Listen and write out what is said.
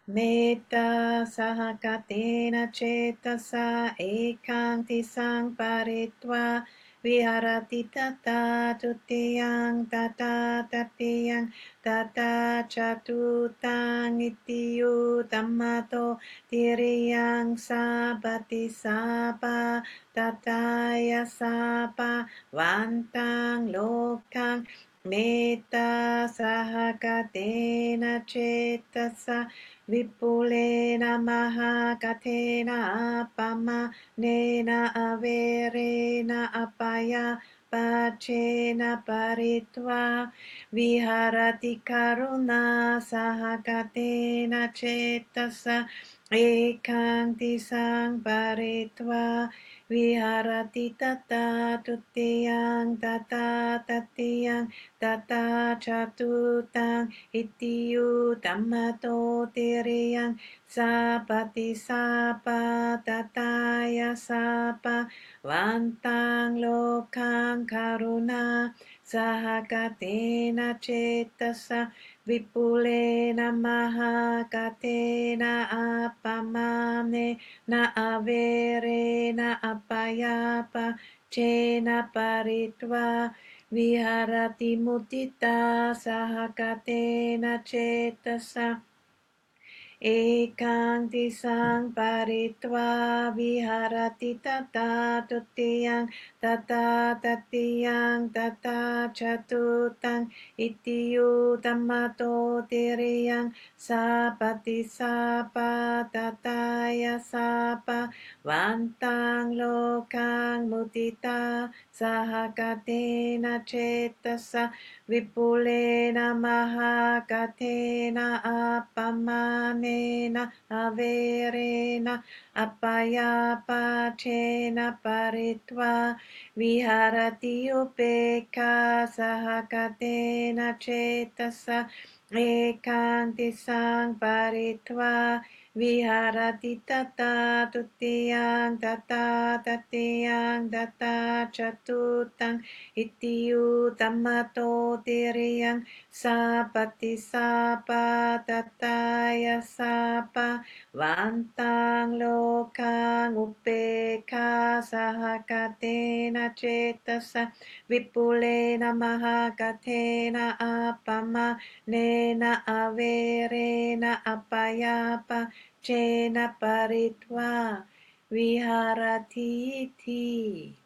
Metta sahakatena cetasa ekanti sang paritva viharati tata tutiyang tata tatiyang tata catutang itiyu tamato tiriyang sabati sapa tataya sapa vantang lokang metta sahakatena cetasa Vipulena mahakatena apama nena averena apaya pachena paritva viharati karuna sahakatena cetasa ekanti sang paritva viharati tata tutiyang tata tatiyang tata catutang itiyu tamato tiriyang sapati sapa tataya sapa vantang lokang karuna sahakatena cetasa vipulena mahakatena apamane na avere na apayapa cena paritva viharati mutita sahakatena cetasa Ekanti sang paritva viharati tata tutiyang tata tatiyang tata catutang itiyu tamato tiriyang sapati sapa tataya sapa vantang lokang mutita sahakatena cetasa Vipulena mahakatena apamanena averena apayapachena paritva viharati upeka sahakatena cetasa ekanti sang paritva viharati tata tutiyang tata tatiyang tata catutang Itiyu tamato tiriyang sapati sapa tataya sapa vantang lokang upeka sahakatena cetasa vipulena mahakatena apama nena averena apayapa cena paritva viharati iti